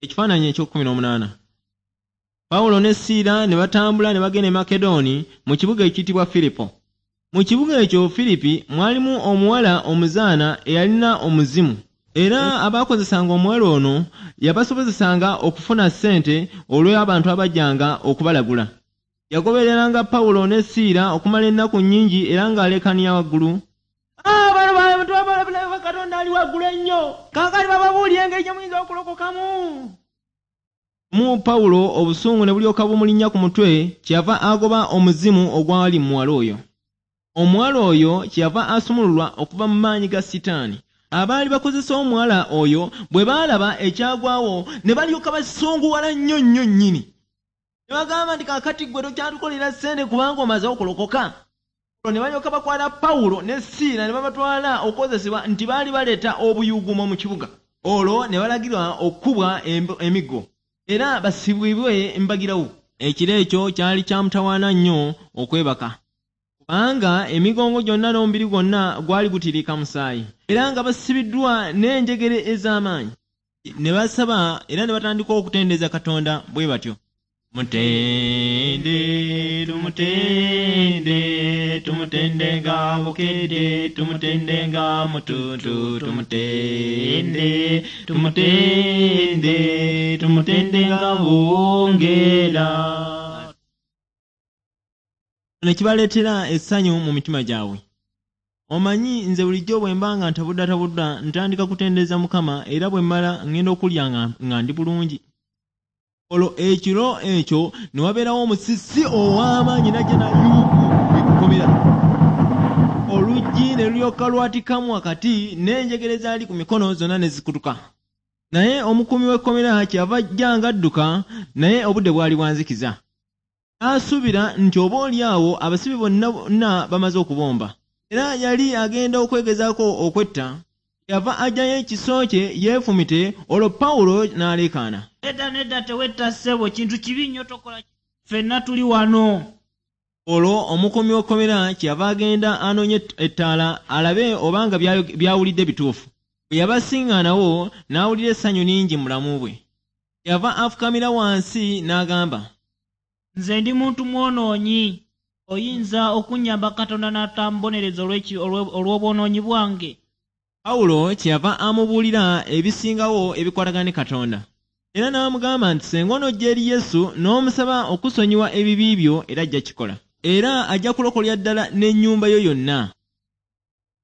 Ekifaananyi eky'okkumi n'omunaana. Pawulo ne Siira ne batambula ne bagenda e Makedooni mu kibuga ekiyitibwa Firipo. Mu kibuga ekyo Firipi mwalimu omuwala omuzaana eyalina omuzimu. Era abaakozesanga omuwala ono yabasobozesanga okufuna ssente olw'abantu abajjanga okubalagula. Yagobereranga Pawulo ne Siira okumala ennaku nnyingi era ng'aleekaanira waggulu. Bano bantu abalaba Katonda ali waggulu ennyo. Kaakati bababuulire engeri gye muyinza okulokokamu. Mu Pawulo obusungu ne bulyoka bumulinnya ku mutwe, kyeyava agoba omuzimu ogwali mu muwala oyo. Omuwala oyo kyeyava asumululwa okuva mu maanyi ga Sitaani. Abaali bakozesa omuwala oyo bwe baalaba ekyagwawo ne balyoka basunguwala nnyo nnyo nnyini. Ne bagamba nti, Kaakati ggwe tokyatukolera ssente kubanga omaze okulokoka. Olwo ne balyoka bakwata Pawulo ne Siira ne babatwala okukozesebwa nti baali baleeta obuyuuguumo mu kibuga. Olwo ne balagirwa okukubwa emiggo era basibibwe mbagirawo. Ekiro ekyo kyali kya mutawaana nnyo okwebaka, kubanga emigongo gyonna n'omubiri gwonna gwali gutiriika musaayi, era nga basibiddwa n'enjegere ez'amaanyi. Ne basaba era ne batandika okutendereza Katonda bwe batyo. Tumutende, tumutende, tumutende nga bukedde, tumutende nga mutuntu, tumutende, tumutende, tumutende nga bungera. Ne kibaleetera essanyu mu mitima gyabwe. Omanyi nze bulijjo bwe mba nga ntabuddatabuddwa ntandika kutendereza Mukama era bwe mmala ŋŋenda okulya nga ndi bulungi. Olwo ekiro ekyo ne wabeerawo musisi ow'amaanyi n'ajja n'ayuugu ekkomera. Oluggi ne lulyoka lwatikamu wakati n'enjegere ezaali ku mikono zonna ne zikutuka. Naye omukuumi w'ekkomera kyeyava ajja ng'adduka, naye obudde bwali bwa nzikiza. N'asuubira nti oboolyawo abasibe bonna bonna bamaze okubomba. Era yali agenda okwegezaako okwetta, kyeyava aggyayo ekiso kye yeefumite, olwo Pawulo n'aleekaana. Nedda, nedda, tewetta ssebo, kintu kibi nnyo tokola ffenna tuli wano. Olwo omukuumi w'ekkomera kyeyava agenda anoonye ettaala alabe oba nga by'awulidde bituufu. Bwe yabasiŋŋaanawo, n'awulira essanyu lingi mu bulamu bwe. Kyeyava afukamira wansi n'agamba. Nze ndi muntu mwonoonyi. Oyinza okunnyamba Katonda n'atambonereza olw'obwonoonyi bwange? Pawulo kyeyava amubuulira ebisingawo ebikwatagana ne Katonda. Era n'amugamba nti senga onojja eri Yesu n'omusaba okusonyiwa ebibi byo era ajja kikola. Era ajja kulokolera ddala n'ennyumba yo yonna.